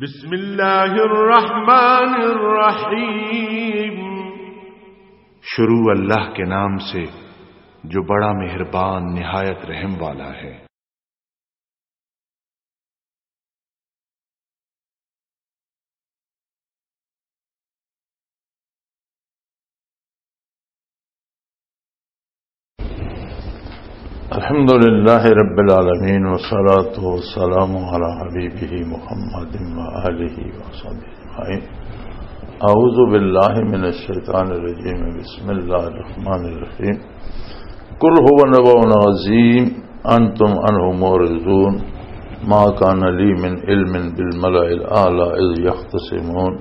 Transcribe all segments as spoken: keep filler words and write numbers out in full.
بسم اللہ الرحمن الرحیم۔ شروع اللہ کے نام سے جو بڑا مہربان نہایت رحم والا ہے۔ الحمد لله رب العالمين، والصلاة والسلام على حبيبه محمد وآله وصحبه أجمعين. أعوذ بالله من الشيطان الرجيم. بسم الله الرحمن الرحيم. قل هو نبأ عظيم أنتم عنه معرضون. ما كان لي من علم بالملأ الأعلى إذ يختصمون.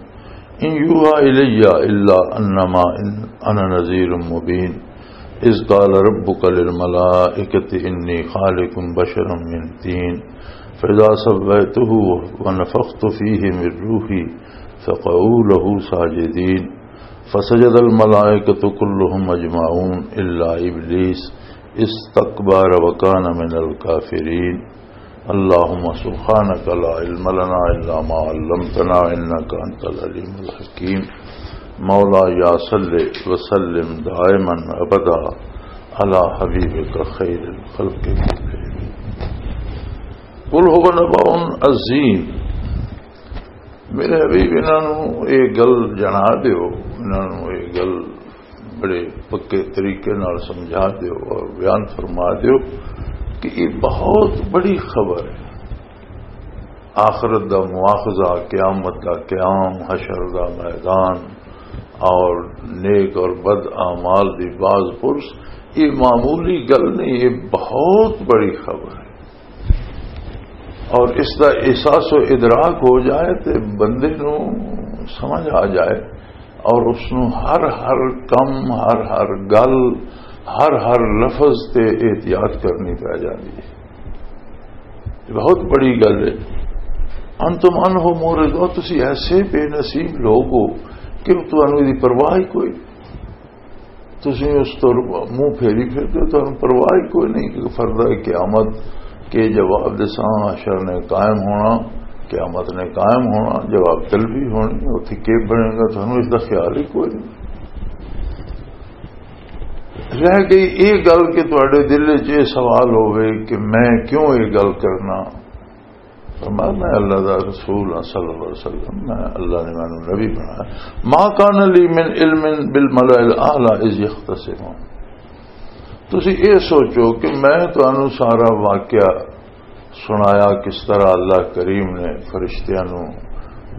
إن يوحى إلي إلا أنما أنا نذير مبين. إذ قال ربك للملائكة إني خالق بشرا من طين فإذا سويته ونفخت فيه من روحي فقعوا له ساجدين. فسجد الملائكة كلهم أجمعون إلا إبليس استكبر وكان من الكافرين. اللهم سبحانك لا علم لنا إلا ما علمتنا إنك أنت العليم الحكيم. مولاي صل وسلم دائما أبدا على حبيبك خير الخلق كلهم. قل هو نبأ عظيم. میرے حبیب، انہاں نوں یہ گل جنا دیو، انہاں نوں یہ گل بڑے پکے طریقے نال سمجھا دیو اور بیان فرما دیو کہ یہ بہت بڑی خبر ہے۔ آخرت دا مواخذہ، قیامت دا قیام، حشر دا میدان، اور نیک اور بد اعمال دی باز پرس، یہ معمولی گل نہیں، یہ بہت بڑی خبر ہے۔ اور اس دا احساس و ادراک ہو جائے تے بندے نوں سمجھ آ جائے، اور اس نوں ہر ہر کم، ہر ہر گل، ہر ہر لفظ تے احتیاط کرنی پی جاندی ہے۔ یہ بہت بڑی گل ہے۔ انتم عنہ معرضون، تسی ایسے بے نصیب لوگ ہو کہ تانوں دی پرواہ ہی کوئی۔ تسی اس تو منہ پھیری پھردے ہو، تانوں پرواہ ہی کوئی نہیں کہ فردا قیامت کے جواب دساں، حشر نے قائم ہونا، قیامت نے قائم ہونا، جواب طلبی ہونی، اتھے کی بنے گا، تانوں اس دا خیال ہی کوئی نہیں۔ رہ گئی یہ گل کہ تواڈے دل وچ یہ سوال ہووے کہ میں کیوں یہ گل کرنا۔ فرمایا، میں اللہ دا رسول ہاں صلی اللہ علیہ وسلم، میں اللہ نے مینوں نبی بنایا۔ ما کان لی من علم بالملأ الاعلی اذ یختصمون۔ تسی یہ سوچو کہ میں تانوں سارا واقعہ سنایا، کس طرح اللہ کریم نے فرشتیاں نوں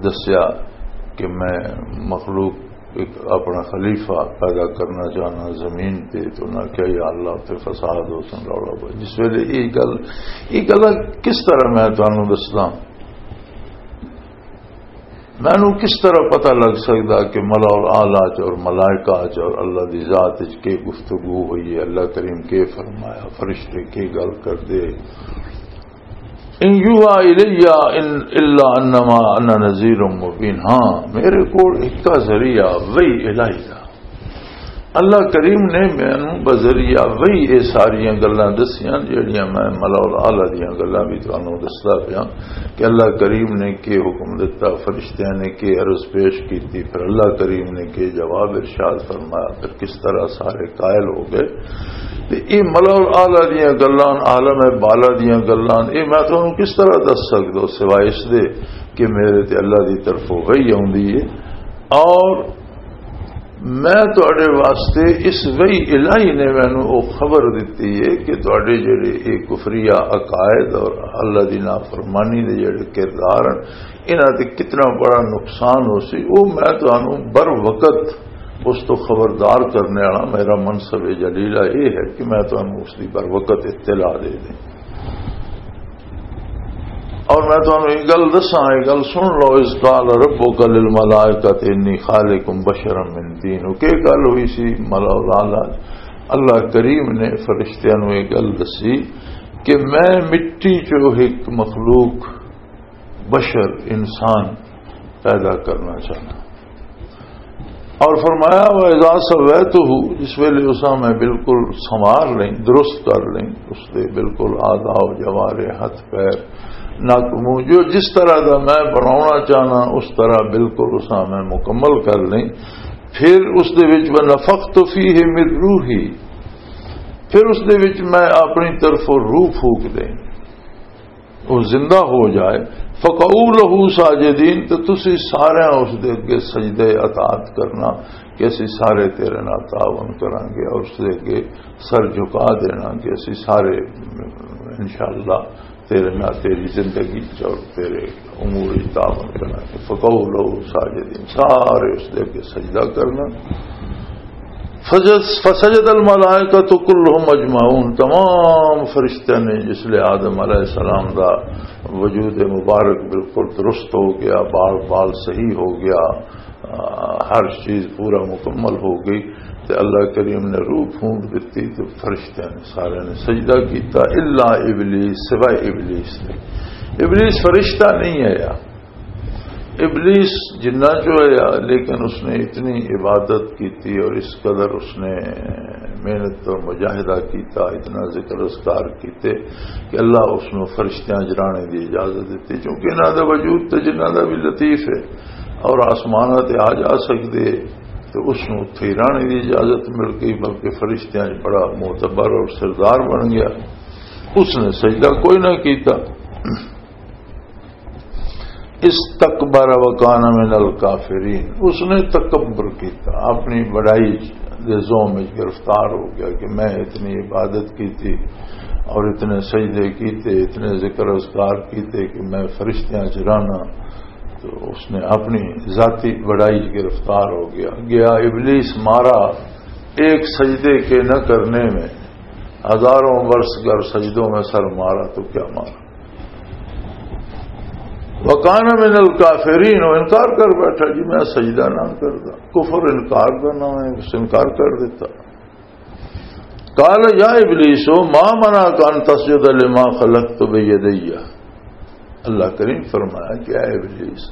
دسیا کہ میں مخلوق ایک اپنا خلیفہ پیدا کرنا چاہنا زمین تے، تو انہاں کہیا، یا اللہ، تے فساد ہو سن، رولا پو۔ جس ویلے یہ گل، یہ گل کس طرح میں تانوں دسدا؟ مینوں کس طرح پتہ لگ سکدا کہ ملأ الاعلی چ اور ملائکہ چ اور اللہ دی ذات وچ کی گفتگو ہوئی ہے، اللہ کریم کی فرمایا، فرشتے کی گل کردے؟ ان یوحی الی ان الا انما انا نذیر مبین۔ ہاں، میرے کول ایک ذریعہ وحی الہی دا۔ اللہ کریم نے مینوں بذریعہ وحی یہ ساریاں گلاں دسیاں جہڑیاں میں ملأ الاعلی دیاں گلاں بھی تانوں دسدا پیاں کہ اللہ کریم نے کی حکم دتا، فرشتیاں نے کی عرض پیش کیتی، پھر اللہ کریم نے کی جواب ارشاد فرمایا، پھر کس طرح سارے قائل ہو گئے۔ تے یہ ملأ الاعلی دیاں گلاں، عالم بالا دیاں گلاں، یہ میں تانوں کس طرح دس سکدا سوائے اس دے کہ میرے تے اللہ دی طرفوں وحی آوندی ہے۔ اور میں تواڈے واسطے، اس وحی الہی نے مینوں او خبر دتی ہے کہ تواڈے جڑے اے کفریہ عقائد اور اللہ دی نافرمانی دے جڑے کردار ہیں، انہاں تے کتنا بڑا نقصان ہو سی، او میں تانوں بر وقت اس تو خبردار کرنے والا میرا منصب جلیلہ یہ ہے کہ میں تانوں اس دی بر وقت اطلاع دے دیں۔ اور میں تانوں ایک گل دساں، ایک گل سن لو، اذ قال ربک للملائکۃ انی خالق بشرا من طین۔ کہ گل ہوئی سی ملأ الاعلی، اللہ کریم نے فرشتیاں نوں ایک گل دسی کہ میں مٹی چوں ایک مخلوق، بشر، انسان پیدا کرنا چاہنا۔ اور فرمایا، وَإِذَا سَوَّيْتُهُ، جس ویلے اساں میں بالکل سنوار لیں، درست کر لیں، اس دے بالکل اعضاء و جوارح، ہتھ پیر، ناکمو، جو جس طرح دا میں بناونا چاہنا، اس طرح بالکل اس میں مکمل کر لیں۔ پھر اس دے وچ ونفخت فیہ من روحی، پھر اس دے وچ میں اپنی طرفوں روح پھونک دیں، وہ زندہ ہو جائے۔ فقعوا لہ ساجدین، تو تسی سارے اس دے اگے سجدے اطاعت کرنا کہ اسی سارے تیرے نال تعاون کرانگے، اور اس دے اگے سر جھکا دینا کہ اسی سارے انشاءاللہ تیرے نال تیری زندگی چ اور تیرے امور وچ تعاون کرانگے۔ فقعوا لہ ساجدین، سارے اس دے اگے سجدہ کرنا۔ فسجد، فسجد الملائکۃ کلہم اجمعون، تمام فرشتیاں نے، جس لئے آدم علیہ السلام دا وجود مبارک بالکل درست ہو گیا، بال بال صحیح ہو گیا، آ، ہر چیز پورا مکمل ہو گئی، تے اللہ کریم نے روح پھونک دتی، تے فرشتیاں نے سارے نے سجدہ کیتا، الا ابلیس، سوائے ابلیس دے۔ ابلیس فرشتہ نہیں ہے یار۔ ابلیس جنہ جو ہے، لیکن اس نے اتنی عبادت کی تھی اور اس قدر اس نے محنت اور مجاہدہ کیتا، اتنا ذکر اذکار کیتے کہ اللہ اس نو فرشتیاں جرانے دی اجازت دیتی، کیونکہ انہاں دا وجود تے جنہاں دا بھی لطیف ہے اور آسماناں تے آ جا سکدے، تے اس نو اتھے ہی رہنے دی اجازت مل گئی، بلکہ فرشتیاں وچ بڑا معتبر اور سردار بن گیا۔ اس نے سجدہ کوئی نہ کیتا۔ استکبر وکان من الکافرین، اس نے تکبر کیتا، اپنی بڑائی دے زوم وچ گرفتار ہو گیا کہ میں اتنی عبادت کیتی اور اتنے سجدے کیتے، اتنے ذکر اذکار کیتے کہ میں فرشتیاں چ رہنا۔ تو اس نے اپنی ذاتی بڑائی چ گرفتار ہو گیا۔ گیا ابلیس مارا، ایک سجدے کے نہ کرنے میں ہزاروں برس گر سجدوں میں سر مارا تو کیا مارا۔ وکان من الکافرین، وہ انکار کر بیٹھا، جی میں سجدہ نہ کرتا۔ کفر انکار کا نام ہے، اس انکار کر دیتا۔ قال یا ابلیس ما منعک ان تسجد لما خلقت بیدی، اللہ کریم فرمایا کہ اے ابلیس،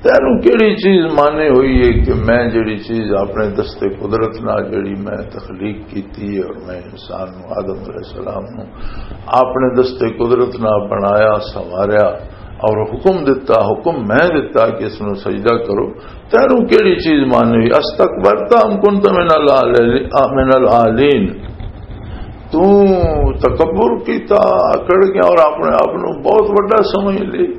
تینوں کیڑی چیز مانے ہوئی ہے کہ میں جڑی چیز اپنے دستے قدرت نال جڑی میں تخلیق کیتی ہے اور میں انسان نو، آدم علیہ السلام نو اپنے دستے قدرت نال بنایا، سنواریا اور حکم دتا، حکم میں دتا کہ اس نو سجدہ کرو، تینوں کیڑی چیز مانے ہوئی؟ استکبرت ام کنت من العال-، من العالین؟ تو تکبر کیتا، اکڑ گیا اور اپنے آپ نو بہت وڈا سمجھ لی۔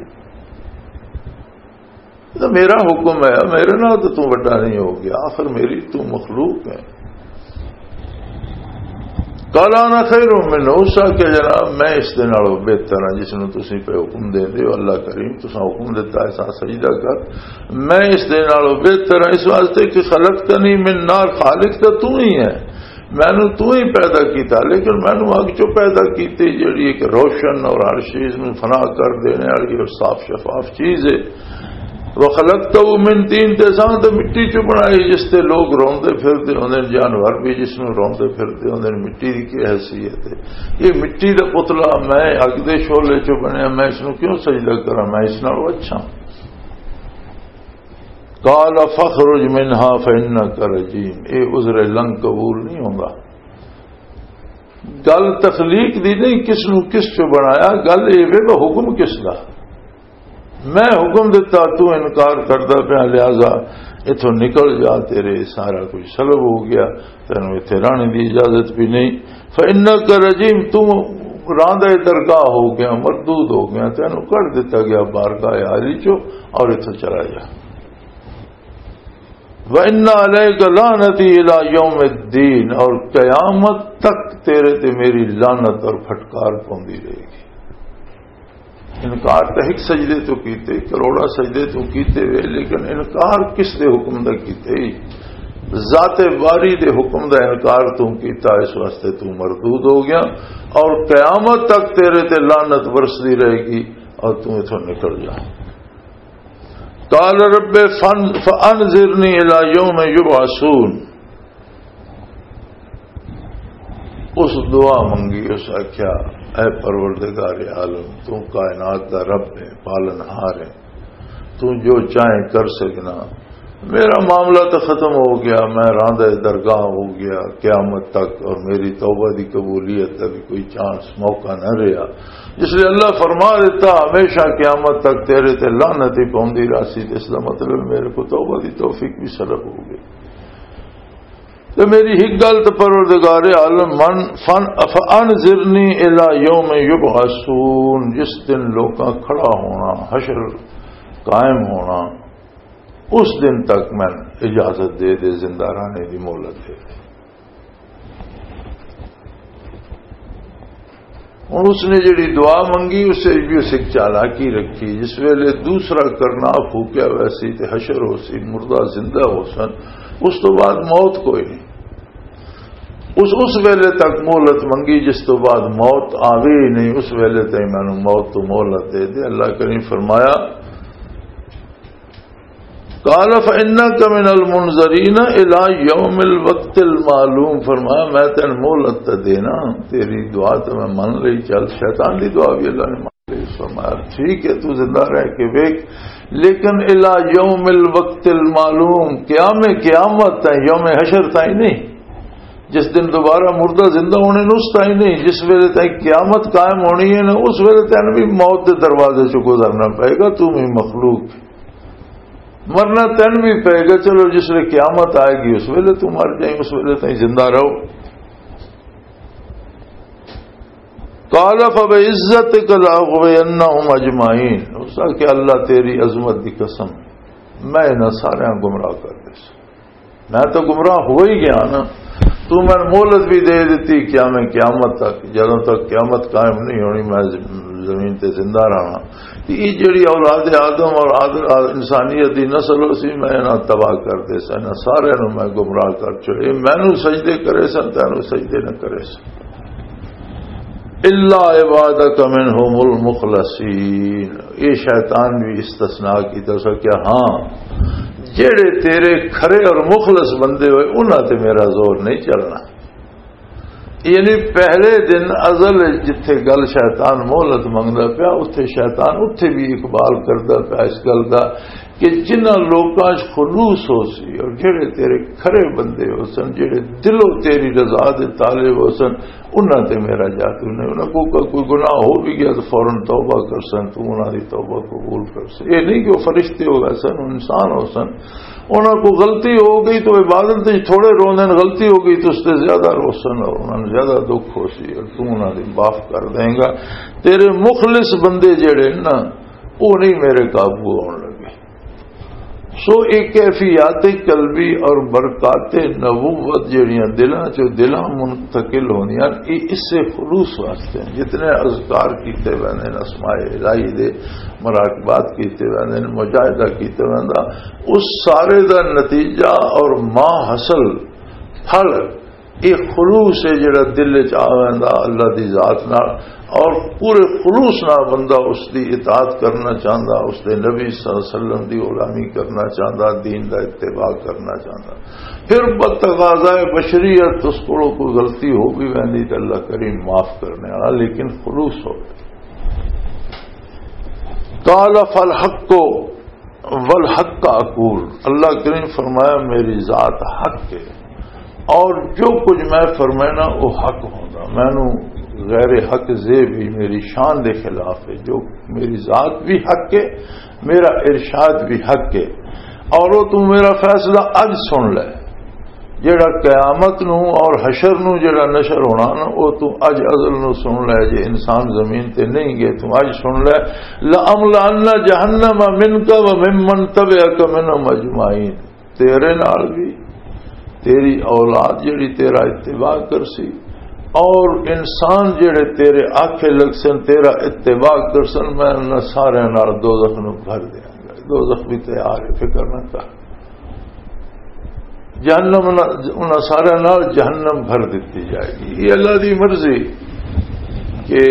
یہ تو میرا حکم ہے، میرے نال تو تو وڈا نہیں ہو گیا، آخر میری تو مخلوق ہے۔ قال انا خیر منہ، اس آکھیا جناب میں اس دے نالوں بہتر ہاں جس نوں تسی پہ حکم دے دے ہو، اللہ کریم تساں حکم دیتا ہے سا سجدہ کر، میں اس دے نالوں بہتر ہاں، اس واسطے کہ خلقتنی من نار، خالق تو تو ہی ہے، مینوں تو ہی پیدا کیتا، لیکن مینوں اگ چوں پیدا کیتی، جڑی ایک روشن اور ہر چیز نوں فنا کر دینے والی اور صاف شفاف چیز ہے۔ وخلقته من طین، تے ساں تے مٹی چوں بنائی، جس تے لوگ روندے پھردے ہوندے نے، جانور بھی جس نوں روندے پھردے ہوندے نے، مٹی دی کی حیثیت ہے؟ یہ مٹی دا پتلا، میں اگ دے شعلے چوں بنیا، میں اس نوں کیوں سجدہ کراں؟ میں اس نالوں اچھا ہاں۔ قال فاخرج منها فانک رجیم، اے عذر لنگ قبول نہیں ہوندا۔ گل تخلیق دی نہیں، کس نو کس چو بنایا، گل اے وے وہ حکم کس دا؟ میں حکم دتا، تو انکار کردا پیا، لہذا اتھوں نکل جا، تیرے سارا کچھ سلب ہو گیا، تینوں اتھے رہنے دی اجازت بھی نہیں۔ فانک رجیم، تو راندہ درگاہ ہو گیا، مردود ہو گیا، تینوں کڈ دتا گیا بارگاہ عالی چو، اور اتھوں چلا جا۔ وَإِنَّ عَلَيْكَ لَعْنَتِي إِلَى يَوْمِ الدِّينِ، اور قیامت تک تیرے تے میری لعنت اور پھٹکار پوندی رہے گی۔ انکار تے ایک سجدے تو کیتے، کروڑا سجدے تو کیتے وے، لیکن انکار کس دے حکم دا کیتے؟ ذات باری دے حکم دا انکار تو کیتا، اس واسطے تو مردود ہو گیا، اور قیامت تک تیرے تے لعنت برسدی رہے گی اور تو اتھوں نکل جا۔ قال رب فن-، فانظرنی الی یوم یبعثون۔ اس دعا منگی، اس آکھیا، اے پروردگار عالم، تو کائنات دا رب ہے، پالن ہار ہے، تو جو چاہے کر سکنا، میرا معاملہ تو ختم ہو گیا، میں راندہ درگاہ ہو گیا قیامت تک، اور میری توبہ دی قبولیت دا بھی کوئی چانس، موقع نہ رہا۔ جس لیے اللہ فرما دیتا، ہمیشہ قیامت تک تیرے تے لعنت ہی پوندی راسی، تے اس دا مطلب میرے کو توبہ دی توفیق بھی سلب ہو گئی۔ تے میری ایک گل تے پروردگار عالم من فن، فانذرنی الی یوم یبعثون، جس دن لوکاں کھڑا ہونا، حشر قائم ہونا، اس دن تک میں اجازت دے دے، زندہ رہنے دی مہلت دے دے۔ ہن اس نے جڑی دعا منگی، اسے بھی اس ایک چالاکی رکھی۔ جس ویلے دوسرا کرنا پھوکیا ہوا سی تے حشر ہو سی، مردہ زندہ ہو سن، اس تو بعد موت کوئی نہیں۔ اس، اس ویلے تک مہلت منگی، جس تو بعد موت آوے ہی نہیں، اس ویلے تک میں نے موت تو مہلت دے دے۔ اللہ کریم فرمایا، قال فإنك من المنذرين إلى يوم الوقت المعلوم، فرمایا، میں تینوں مہلت تے دینا، تیری دعا تے میں من لئی، چل، شیطان دی دعا بھی اللہ نے من لئی۔ فرمایا، ٹھیک ہے، تو زندہ رہ کے ویکھ، لیکن الی یوم الوقت المعلوم، قیام قیامت تائیں، یوم حشر تائیں نہیں۔ جس دن دوبارہ مردہ زندہ ہونے نوں، اس تائیں نہیں، جس ویلے تائیں قیامت قائم ہونی ہے نا، اس ویلے تینوں بھی موت دے دروازے چوں گزرنا پائے گا، تو بھی مخلوق۔ مرنا تین بھی پے گا، چلو جس ویلے قیامت آئے گی اس ویلے تو مر جائیں، اس ویلے تائیں زندہ رہو۔ قال فبعزتك لأغوينهم أجمعين، اس کا کہ اللہ تیری عظمت دی قسم، میں انہاں سارے گمراہ کر دے سا۔ میں تو گمراہ ہو ہی گیا نا، تو میں مہلت بھی دے دیتی قیام قیامت تک، جدوں تک قیامت قائم نہیں ہونی میں ز-، زمین تے زندہ رہنا۔ تے یہ جڑی اولاد آدم اور آد-، آد-، انسانیت دی نسل ہو سی، میں انہاں تباہ کر دے سا، انہاں سارے نوں میں گمراہ کر چھوڑے۔ مینوں سجدے کرے سن، تینوں سجدے نہ کرے سن۔ الا عبادك منهم المخلصين، یہ شیطان بھی استثناء کیتا سا کہ ہاں، جڑے تیرے کھرے اور مخلص بندے ہوئے، انہاں تے میرا زور نہیں چلنا۔ یعنی پہلے دن ازل وچ جتھے گل شیطان مہلت منگدا پیا، اتھے شیطان اتھے بھی اقبال کردا پیا اس گل دا کہ جنہاں لوکاں 'چ خلوص ہو سی اور جڑے تیرے کھرے بندے ہو سن، جڑے دلوں تیری رضا دے طالب ہو سن، انہاں تے میرا جادو نہیں۔ انہاں کو کوئی گناہ ہو بھی گیا تو فوراً توبہ کر سن، تو انہاں دی توبہ قبول کر سن۔ یہ نہیں کہ وہ فرشتے ہو گئے سن، انسان ہو سن، انہاں کو غلطی ہو گئی تو عبادت وچ تھوڑے روندے نے، غلطی ہو گئی تو اس تے زیادہ روسن اور انہاں نوں زیادہ دکھ ہو سی، اور تو انہاں دی معاف کر دیں گا۔ تیرے مخلص بندے جڑے نا، وہ نہیں میرے قابو آن لگے۔ سو ایک کیفیات قلبی اور برکات نبوت جڑیاں دلاں چوں دلاں منتقل ہوندیاں، یہ اس سے خلوص واسطے ہیں۔ جتنے اذکار کیتے ویندے نے، اسماء الہی دے مراقبات کیتے ویندے نے، مجاہدہ کیتے ویندا، اس سارے دا نتیجہ اور ماں حاصل، پھل، یہ خلوص ہے جڑا دل وچ آ ویندا اللہ دی ذات نال، اور پورے خلوص نال بندہ اس دی اطاعت کرنا چاہندا، اس دے نبی صلی اللہ علیہ وسلم دی غلامی کرنا چاہندا، دین دا اتباع کرنا چاہندا۔ پھر بتقاضائے بشریت اس کولوں کوئی غلطی ہو بھی ویندی تے اللہ کریم معاف کرنے والا، لیکن خلوص ہو۔ قال فالحق والحق اقول، اللہ کریم فرمایا، میری ذات حق ہے اور جو کچھ میں فرمائنا وہ حق ہوندا، مینوں غیر حق زے بھی میری شان دے خلاف ہے۔ جو میری ذات بھی حق ہے، میرا ارشاد بھی حق ہے، اور وہ تو میرا فیصلہ اج سن لے۔ جڑا قیامت نو اور حشر نو جڑا نشر ہونا نا، او تو اج ازل نو سن لے، جے انسان زمین تے نہیں گئے، تو اج سن لے، لَأَمْلَأَنَّ جَهَنَّمَ مِنْكَ وَمِمَّنْ تَبِعَكَ مِنْهُمْ أَجْمَعِينَ۔ تیرے نال بھی، تیری اولاد جڑی تیرا اتباع کرسی، اور انسان جڑے تیرے آکھے لگ سن، تیرا اتباع کرسن، میں انہاں سارے نال دوزخ نو بھر دیاں گا۔ دوزخ بھی تیار ہے، فکر نہ کر۔ جہنم نہ، انہاں سارے نال جہنم بھر دتی جائے گی۔ یہ اللہ دی مرضی کہ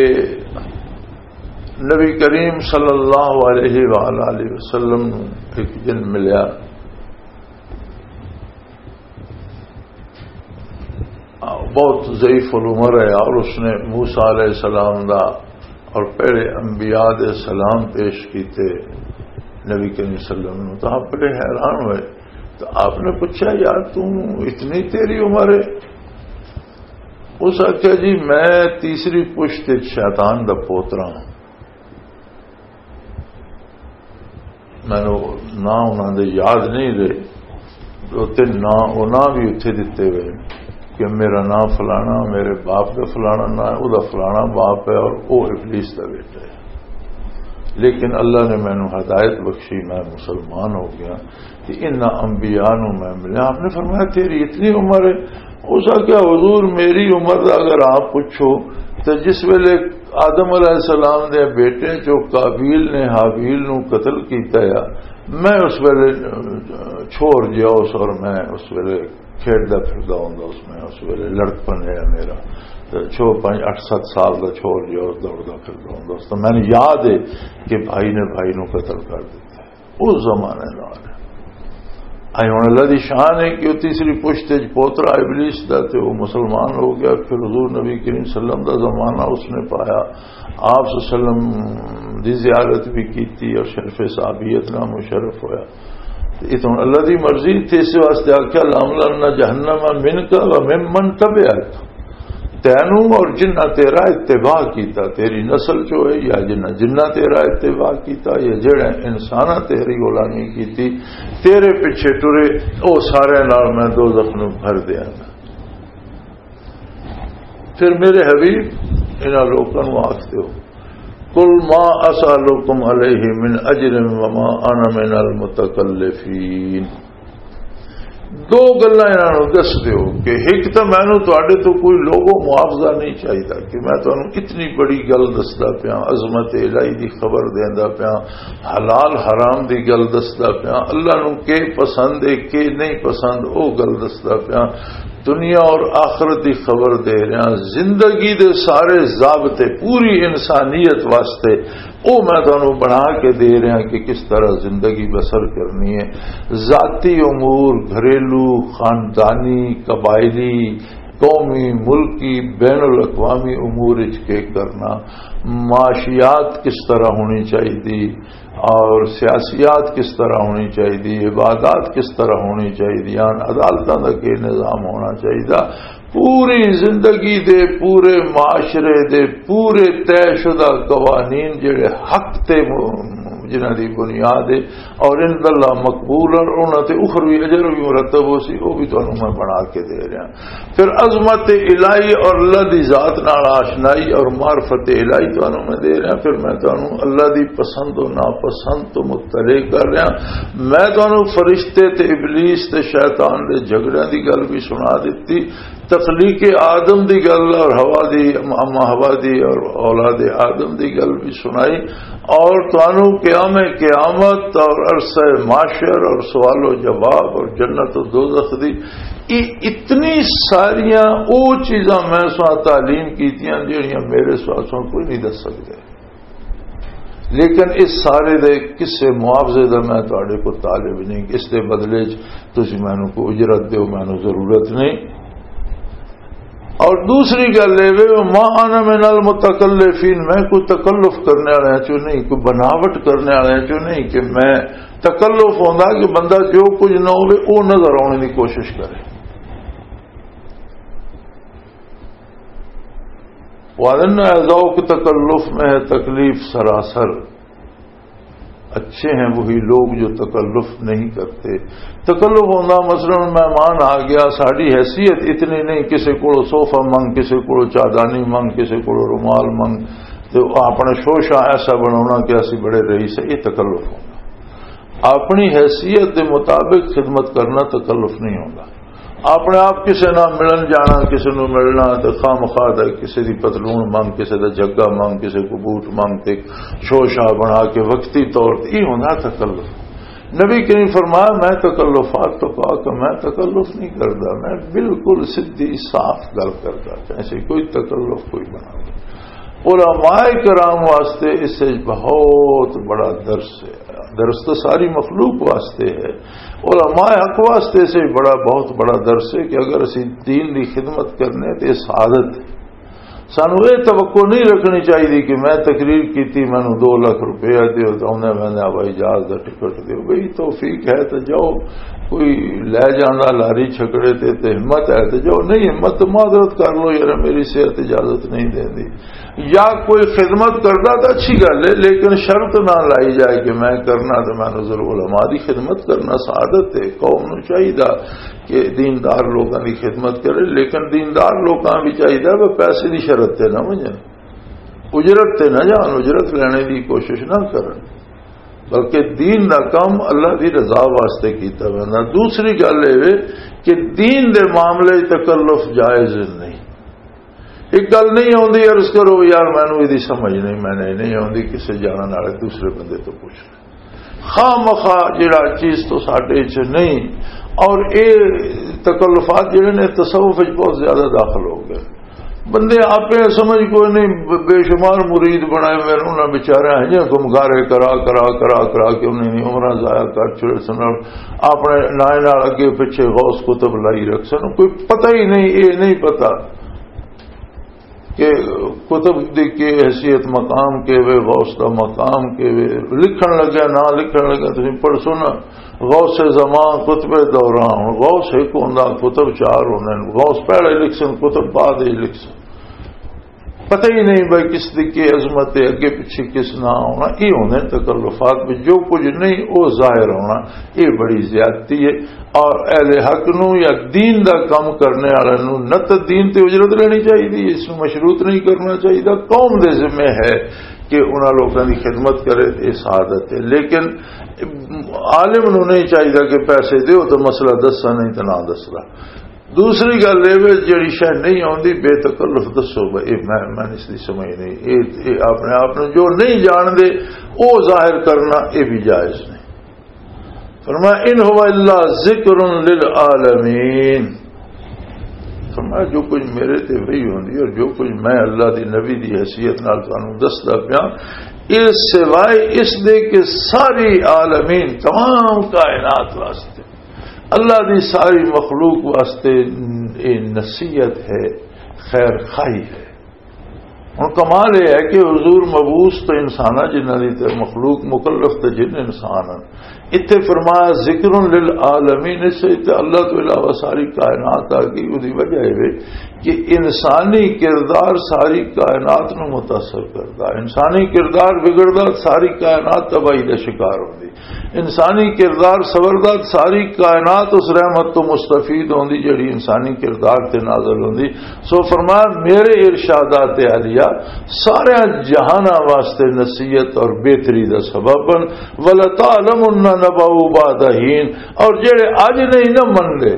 نبی کریم صلی اللہ علیہ وآلہ وسلم نو ایک جن ملیا، بہت ضعیف العمر ہے، اور اس نے موسیٰ علیہ السلام دا اور پہلے انبیاء دے سلام پیش کیتے نبی کریم صلی اللہ علیہ وسلم نو، تو آپ بڑے حیران ہوئے۔ تو آپ نے پوچھا، یار، تو اتنی تیری عمر ہے؟ اس آخیا، "جی، میں تیسری پشت وچ شیطان دا پوترا ہاں۔" مینوں نہ انہاں دے یاد نہیں رہے، دو تین ناں، وہ ناں بھی اتھے دتے ہوئے کہ میرا ناں فلانا، میرے باپ دا فلانا ناں ہے، وہ دا فلانا باپ ہے اور وہ ابلیس دا بیٹا ہے۔ لیکن اللہ نے مینوں ہدایت بخشی، میں مسلمان ہو گیا۔ کہ انہاں انبیاء نوں میں ملیا۔ آپ نے فرمایا، "تیری اتنی عمر ہے؟" اس آخیا، "حضور، میری عمر دا اگر آپ پوچھو تو جس ویلے آدم علیہ السلام دے بیٹے چوں قابیل نے حابیل نوں قتل کیتا ہے، میں اس ویلے چھوڑ جیا اس، اور میں اس ویلے کھیڈدا پھردا ہوندا اس، میں اس ویلے لڑکپن ہے میرا، تے چھو پنج اٹھ ست سال دا چھوڑ جیا اس، دوڑدا پھردا ہوندا اس، تو مینوں یاد ہے کہ بھائی نے بھائی نوں قتل کر دتا ہے۔" اس زمانے نال۔ اے ہن اللہ دی شان ہے کہ وہ تیسری پشت وچ پوترا ابلیس دا تے وہ مسلمان ہو گیا۔ پھر حضور نبی کریم صلی اللہ علیہ وسلم دا زمانہ اس نے پایا، آپ صلی اللہ علیہ وسلم دی زیارت بھی کیتی اور شرف صحابیت نال مشرف ہویا۔ تے اتھوں اللہ دی مرضی تے اس واسطے آکھیا، "لَأَمْلَأَنَّ جَهَنَّمَ مِنْكَ وَمِمَّنْ تَبِعَكَ۔" تینوں اور جنہ تیرا اتباع کیتا، تیری نسل چو ہے یا جنہ، جنہ تیرا اتباع کیتا یا جڑے انساناں تیری غلامی کیتی، تیرے پیچھے ٹرے، او سارے نال میں دوزخ نوں بھر دیاں گا۔ پھر میرے حبیب انہاں لوکاں نوں آکھ دیو، "قل ما اسالکم علیہ من اجر وما انا من المتکلفین۔" دو گلاں انہاں نوں دس دیو کہ ایک تاں مینوں تہاڈے تو کوئی لوگو معاوضہ نہیں چاہیدا کہ میں تانوں اتنی بڑی گل دسدا پیاں، عظمت الہی دی خبر دیندا پیاں، حلال حرام دی گل دسدا پیاں، اللہ نوں کی پسند ہے کی نہیں پسند، او گل دسدا پیاں، دنیا اور آخرت دی خبر دے رہا، زندگی دے سارے ضابطے پوری انسانیت واسطے او میں تانوں بنا کے دے رہا کہ کس طرح زندگی بسر کرنی ہے، ذاتی امور، گھریلو، خاندانی، قبائلی، قومی، ملکی، بین الاقوامی امور اچ کے کرنا، معاشیات کس طرح ہونی چاہیے اور سیاسیات کس طرح ہونی چاہیے، عبادات کس طرح ہونی چاہیے، عدالتاں دا کی نظام ہونا چاہیے، پوری زندگی دے، پورے معاشرے دے، پورے طے شدہ قوانین جڑے حق تے م-، جنہاں دی بنیاد ہے اور عند اللہ مقبول اور انہاں تے اخروی اجر بھی مرتب ہو سی، وہ بھی تانوں میں بنا کے دے رہا۔ پھر عظمت الہی اور اللہ دی ذات نال آشنائی اور معرفت الہی تانوں میں دے رہا۔ پھر میں تانوں اللہ دی پسند و ناپسند تو مطلع کر رہا۔ میں تانوں فرشتے تے ابلیس تے شیطان دے جھگڑیاں دی گل بھی سنا دتی، تخلیق آدم دی گل اور حوا دی، اما حوا دی اور اولاد آدم دی گل بھی سنائی، اور تانوں قیام قیامت اور عرصہ محشر اور سوال و جواب اور جنت و دوزخ دی، یہ اتنی ساریاں او چیزاں میں سا تعلیم کیتیاں جہڑیاں میرے سوا سا کوئی نہیں دس سکتے۔ لیکن اس سارے دے کسے معاوضے دا میں تہاڈے کو طالب نہیں، اس دے بدلے چ تسی مینوں کو اجرت دیو، مینوں ضرورت نہیں۔ اور دوسری گل یہ وے، "وما انا من المتکلفین"، میں کوئی تکلف کرنے والے چوں نہیں، کوئی بناوٹ کرنے والے چوں نہیں کہ میں تکلف ہوندا کہ بندہ جو کچھ نہ ہوے وہ نظر آنے کی کوشش کرے۔ وَأَنَّ ذوق تکلف میں ہے تکلیف سراسر۔ اچھے ہیں وہی لوگ جو تکلف نہیں کرتے۔ تکلف ہوندا، مثلاً مہمان آ گیا، ساڈی حیثیت اتنی نہیں، کسے کولوں صوفہ منگ، کسے کولوں چادانی منگ، کسے کولوں رومال منگ، تے اپنا شوشا ایسا بناونا کہ اسی بڑے رئیس ہیں، یہ تکلف ہوندا۔ اپنی حیثیت دے مطابق خدمت کرنا تکلف نہیں ہوندا۔ اپنے آپ کسے نال ملن جانا، کسے نوں ملنا تے خام خواہ دا کسے دی پتلون منگ، کسے دا جھگا منگ، کسے کو بوٹ منگ تے شو شاہ بنا کے وقتی طور تے یہ ہوندا تکلف۔ نبی کریم فرمایا، "میں تکلفات تو پاک ہاں، میں تکلف نہیں کردا، میں بالکل سدھی صاف گل کردا، ایسے کوئی تکلف کوئی بنا نہیں۔" علماء کرام واسطے اس سے بہت بڑا درس ہے۔ درس تو ساری مخلوق واسطے ہے، علماء حق واسطے سے بڑا، بہت بڑا درس ہے کہ اگر اسی دین دی خدمت کرنے تے سعادت ہے۔ سانو یہ توقع نہیں رکھنی چاہیے کہ میں تقریر کیتی، مینوں دو لاکھ روپیہ دیو، تے آندے ویندے ہوائی جہاز دا ٹکٹ دیو۔ بھئی، توفیق ہے تے جاؤ، کوئی لے جاندا لاری چھکڑے تے، تے ہمت ہے تے جاؤ، نہیں ہمت تے معذرت کر لو، یار، میری صحت اجازت نہیں دیندی۔ یا کوئی خدمت کردا تے اچھی گل ہے، لیکن شرط نہ لائی جائے کہ میں کرنا تے میں نذر علماء دی خدمت کرنا سعادت ہے۔ قوم نو چاہیدا کہ دیندار لوکاں دی خدمت کرے، لیکن دیندار لوکاں بھی چاہیدا وہ پیسے دی شرط تے نہ ونجن، اجرت تے نہ جان، اجرت لینے دی کوشش نہ کرن، بلکہ دین دا کم اللہ دی رضا واسطے کیتا ویندا۔ دوسری گل اے وے کہ دین دے معاملے وچ تکلف جائز نہیں۔ ایک گل نہیں آندی، عرض کرو، "یار، مینوں ایدی سمجھ نہیں، میں نہیں، نہیں آندی"، کسے جانن والے دوسرے بندے تو پوچھ لے۔ خواہ مخواہ جڑا چیز تو ساڈے چ نہیں، اور اے تکلفات جڑے نے تصوف وچ بہت زیادہ داخل ہو گئے۔ بندے آپ سمجھ کوئی نہیں، ب-، بے شمار مرید بنائے ہوئے نے، انہاں بیچاریاں ہجے گمگارے کرا، کرا، کرا، کرا کے انہاں دی عمراں ضائع کر چھوڑے سن، اور اپنے نائے نال اگے پیچھے غوث کتب لائی رکھ سن، کوئی پتہ ہی نہیں، اے نہیں پتہ کہ کتب دی کی حیثیت، مقام کے وے، غوث دا مقام کے وے، لکھن لگا، نہ لکھن لگا، تسیں پڑھسو نا، غوث زمان، قطب دوران، غوث ایک ہوندا، قطب چار ہوندے نے، غوث پہلے لکھ سن، قطب بعد وچ لکھ سن۔ پتہ ہی نہیں بھائی کس دی کی عظمت ہے، اگے پیچھے کس نہ ہونا۔ یہ ہوندے نے تکلفات، بھی جو کچھ نہیں وہ ظاہر ہونا، یہ بڑی زیادتی ہے۔ اور اہل حق نو یا دین دا کم کرنے والے نو نہ تے دین تے اجرت لینی چاہیے، اس نو مشروط نہیں کرنا چاہیے۔ قوم دے ذمے ہے کہ انہاں لوکاں دی خدمت کرے، یہ سعادت ہے۔ لیکن عالم نو نہیں چاہیے کہ پیسے دیو تو مسئلہ دسا، نہیں تو نہ دسدا۔ دوسری گل یہ وے، جڑی شے نہیں آندی، بے تکلف دسو بھائی، اے میں، میں اس دی سمجھ نہیں، اے، اے اپنے آپ نو جو نہیں جان دے، او ظاہر کرنا، اے بھی جائز نہیں۔ فرمایا، "ان هو الا ذکر للعالمین۔" فرمایا، جو کچھ میرے تے وحی ہوندی اور جو کچھ میں اللہ دی نبی دی حیثیت نال تانوں دسدا پیاں، اے سوائے اس دے کہ ساری عالمین، تمام کائنات واسطے، اللہ دی ساری مخلوق واسطے اے نصیحت ہے، خیر خواہی ہے۔ ہن کمال یہ ہے کہ حضور مبعوث تو انسان ہے، جنہاں دی تے مخلوق مکلف تے جن انسان ہیں۔ اتنے فرمایا، "ذکر للعالمین"، اس سے تے اللہ تو علاوہ ساری کائنات آ گئی۔ وہدی وجہ یہ ہے کہ انسانی کردار ساری کائنات نو متاثر کردا، انسانی کردار بگڑدا، ساری کائنات تباہی دا شکار ہوندی۔ انسانی کردار سبردار، ساری کائنات اس رحمت تو مستفید ہوندی جڑی انسانی کردار تے نازل ہوندی۔ سو فرمایا، میرے ارشادات عالیہ سارے جہاناں واسطے نصیحت اور بہتری دا سبب بن۔ "ولتعلمن نبأہ بعد حین"، اور جڑے اج نہیں نہ من لے،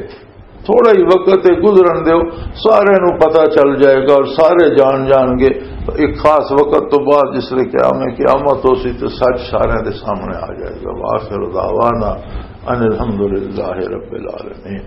تھوڑا ہی وقت ہے گزرن دیو، سارے نو پتہ چل جائے گا اور سارے جان جان گے۔ ایک خاص وقت تو بعد جس لے قیام قیامت ہو سی تو سچ سارے دے سامنے آ جائے گا۔ وآخر دعوانا ان الحمدللہ رب العالمین۔